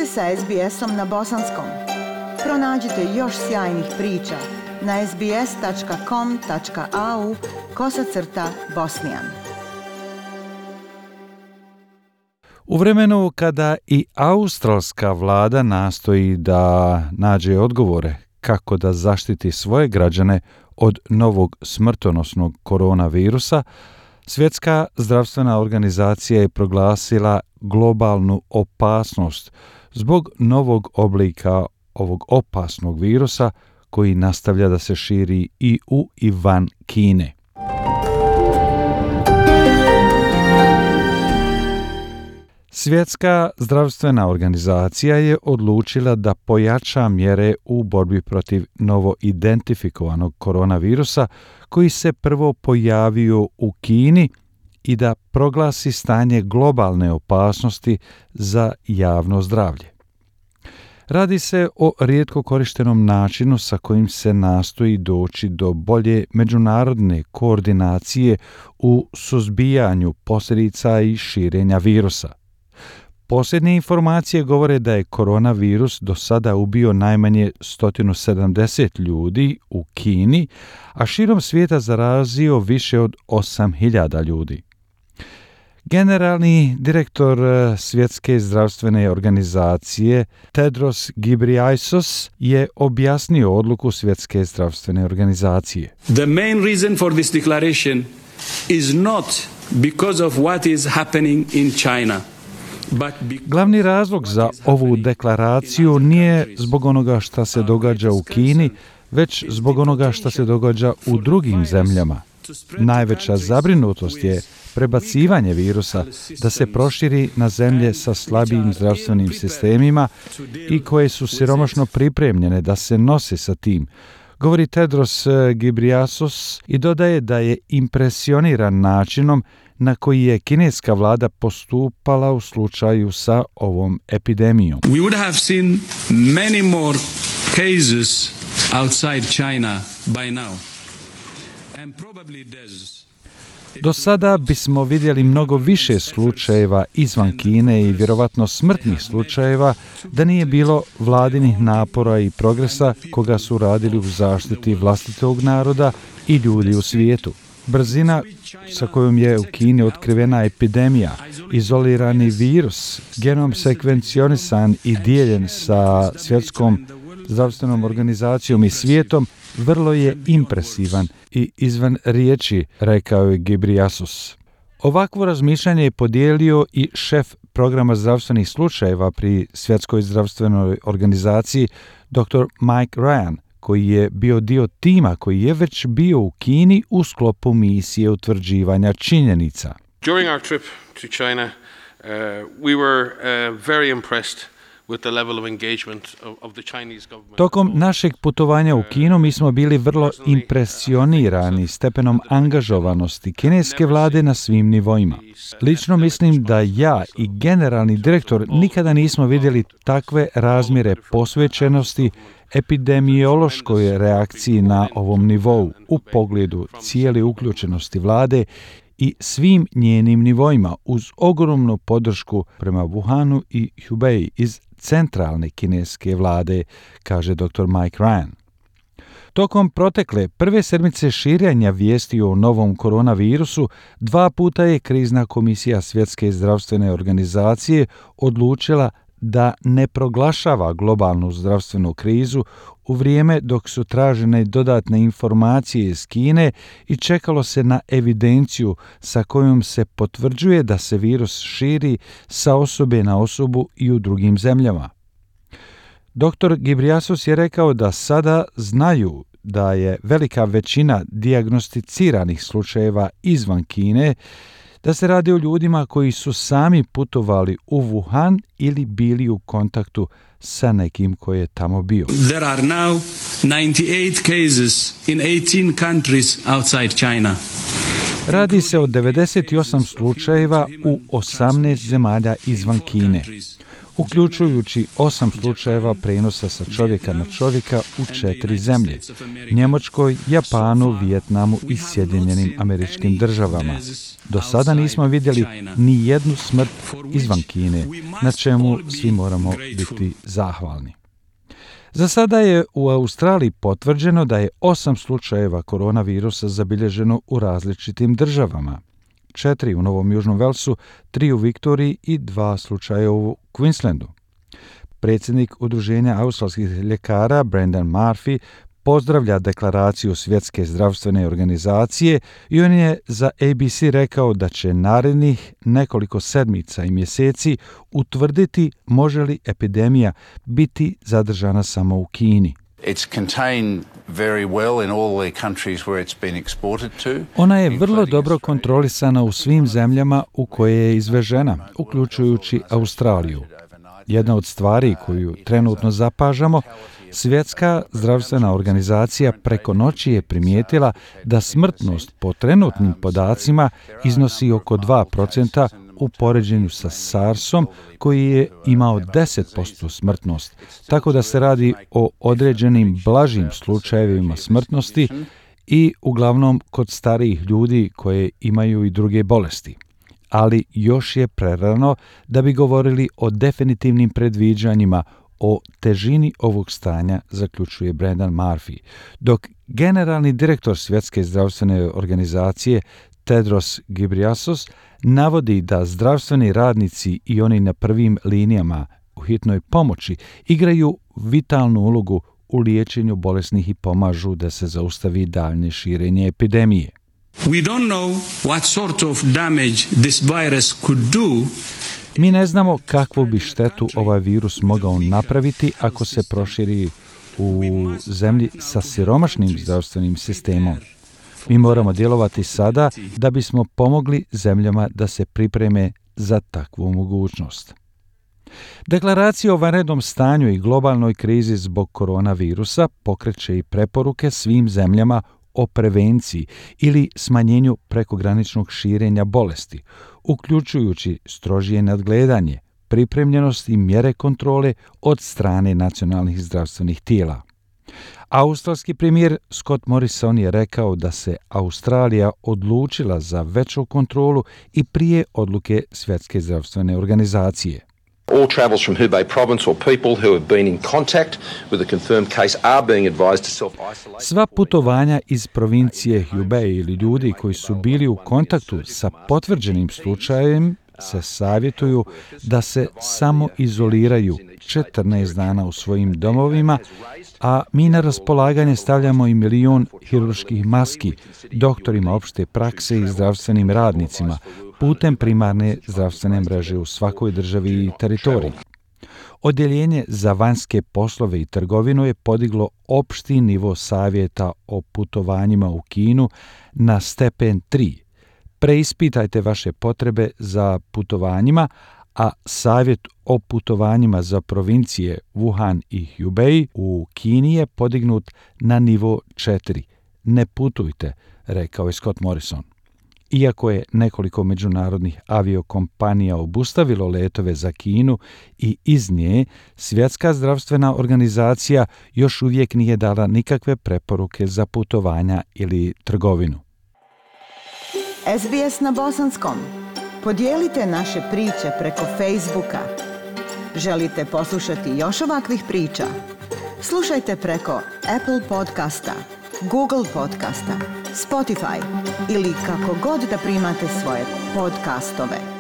ste sa SBS-om na bosanskom. Pronađite još sjajnih priča na sbs.com.au/bosnijan. U vremenu kada i australska vlada nastoji da nađe odgovore kako da zaštiti svoje građane od novog smrtonosnog koronavirusa, Svjetska zdravstvena organizacija je proglasila globalnu opasnost zbog novog oblika ovog opasnog virusa koji nastavlja da se širi i u i van Kine. Svjetska zdravstvena organizacija je odlučila da pojača mjere u borbi protiv novo identifikovanog koronavirusa koji se prvo pojavio u Kini i da proglasi stanje globalne opasnosti za javno zdravlje. Radi se o rijetko korištenom načinu sa kojim se nastoji doći do bolje međunarodne koordinacije u suzbijanju posljedica i širenja virusa. Posljednje informacije govore da je koronavirus do sada ubio najmanje 170 ljudi u Kini, a širom svijeta zarazio više od 8.000 ljudi. Generalni direktor Svjetske zdravstvene organizacije Tedros Ghebreyesus je objasnio odluku Svjetske zdravstvene organizacije. The main reason for this declaration is not because of what is happening in China. Glavni razlog za ovu deklaraciju nije zbog onoga što se događa u Kini, već zbog onoga što se događa u drugim zemljama. Najveća zabrinutost je prebacivanje virusa da se proširi na zemlje sa slabijim zdravstvenim sistemima i koje su siromašno pripremljene da se nose sa tim, govori Tedros Ghebreyesus i dodaje da je impresioniran načinom na koji je kineska vlada postupala u slučaju sa ovom epidemijom. We would have seen many more cases outside China by now. And probably there's Do sada bismo vidjeli mnogo više slučajeva izvan Kine i vjerovatno smrtnih slučajeva da nije bilo vladinih napora i progresa koga su radili u zaštiti vlastitog naroda i ljudi u svijetu. Brzina sa kojom je u Kini otkrivena epidemija, izolirani virus, genom sekvencionisan i dijeljen sa Svjetskom zdravstvenom organizacijom i svijetom, vrlo je impresivan i izvan riječi, rekao je Ghebreyesus. Ovakvo razmišljanje je podijelio i šef programa zdravstvenih slučajeva pri Svjetskoj zdravstvenoj organizaciji, dr. Mike Ryan, koji je bio dio tima koji je već bio u Kini u sklopu misije utvrđivanja činjenica. During our trip to China, we were very impressed with the level of engagement of the Chinese government. Tokom našeg putovanja u Kinu mi smo bili vrlo impresionirani stepenom angažovanosti kineske vlade na svim nivoima. Lično mislim da ja i generalni direktor nikada nismo vidjeli takve razmjere posvećenosti epidemiološkoj reakciji na ovom nivou u pogledu cijele uključenosti vlade i svim njenim nivoima uz ogromnu podršku prema Wuhanu i Hubei iz centralne kineske vlade, kaže dr. Mike Ryan. Tokom protekle prve sedmice širenja vijesti o novom koronavirusu, 2 puta je krizna komisija Svjetske zdravstvene organizacije odlučila da ne proglašava globalnu zdravstvenu krizu u vrijeme dok su tražene dodatne informacije iz Kine i čekalo se na evidenciju sa kojom se potvrđuje da se virus širi sa osobe na osobu i u drugim zemljama. Dr. Ghebreyesus je rekao da sada znaju da je velika većina dijagnosticiranih slučajeva izvan Kine, da se radi o ljudima koji su sami putovali u Wuhan ili bili u kontaktu sa nekim koji je tamo bio. There are now 98 cases in 18 countries outside China. Radi se o 98 slučajeva u 18 zemalja izvan Kine. uključujući 8 slučajeva prenosa sa čovjeka na čovjeka u 4 zemlje: Njemačkoj, Japanu, Vijetnamu i Sjedinjenim Američkim Državama. Do sada nismo vidjeli ni jednu smrt izvan Kine, na čemu svi moramo biti zahvalni. Za sada je u Australiji potvrđeno da je 8 slučajeva koronavirusa zabilježeno u različitim državama. 4 u Novom Južnom Velsu, 3 u Viktoriji i 2 slučaja u Queenslandu. Predsjednik Udruženja australskih ljekara Brendan Murphy pozdravlja deklaraciju Svjetske zdravstvene organizacije i on je za ABC rekao da će narednih nekoliko sedmica i mjeseci utvrditi može li epidemija biti zadržana samo u Kini. Ona je vrlo dobro kontrolisana u svim zemljama u koje je izvežena, uključujući Australiju. Jedna od stvari koju trenutno zapažamo, Svjetska zdravstvena organizacija preko noći je primijetila da smrtnost po trenutnim podacima iznosi oko 2% u poređenju sa SARS-om koji je imao 10% smrtnost, tako da se radi o određenim blažim slučajevima smrtnosti i uglavnom kod starijih ljudi koje imaju i druge bolesti. Ali još je prerano da bi govorili o definitivnim predviđanjima o težini ovog stanja, zaključuje Brendan Murphy, dok generalni direktor Svjetske zdravstvene organizacije Tedros Ghebreyesus navodi da zdravstveni radnici i oni na prvim linijama u hitnoj pomoći igraju vitalnu ulogu u liječenju bolesnih i pomažu da se zaustavi daljnje širenje epidemije. We don't know what sort of damage this virus could do. Mi ne znamo kakvu bi štetu ovaj virus mogao napraviti ako se proširi u zemlji sa siromašnim zdravstvenim sistemom. Mi moramo djelovati sada da bismo pomogli zemljama da se pripreme za takvu mogućnost. Deklaracija o vanrednom stanju i globalnoj krizi zbog koronavirusa pokreće i preporuke svim zemljama o prevenciji ili smanjenju prekograničnog širenja bolesti, uključujući strožije nadgledanje, pripremljenost i mjere kontrole od strane nacionalnih zdravstvenih tijela. Australski premijer Scott Morrison je rekao da se Australija odlučila za veću kontrolu i prije odluke Svjetske zdravstvene organizacije. All travels from Hubei province or people who have been in contact with a confirmed case are being advised to self-isolate. Sva putovanja iz provincije Hubei ili ljudi koji su bili u kontaktu sa potvrđenim slučajem se savjetuju da se samo izoliraju 14 dana u svojim domovima, a mi na raspolaganje stavljamo i 1 milion hirurških maski doktorima opšte prakse i zdravstvenim radnicima putem primarne zdravstvene mreže u svakoj državi i teritoriji. Odjeljenje za vanjske poslove i trgovinu je podiglo opšti nivo savjeta o putovanjima u Kinu na stepen 3. Preispitajte vaše potrebe za putovanjima, a savjet o putovanjima za provincije Wuhan i Hubei u Kini je podignut na nivo 4. Ne putujte, rekao je Scott Morrison. Iako je nekoliko međunarodnih aviokompanija obustavilo letove za Kinu i iz nje, Svjetska zdravstvena organizacija još uvijek nije dala nikakve preporuke za putovanja ili trgovinu. SBS na bosanskom. Podijelite naše priče preko Facebooka. Želite poslušati još ovakvih priča? Slušajte preko Apple podcasta, Google podcasta, Spotify ili kako god da primate svoje podcastove.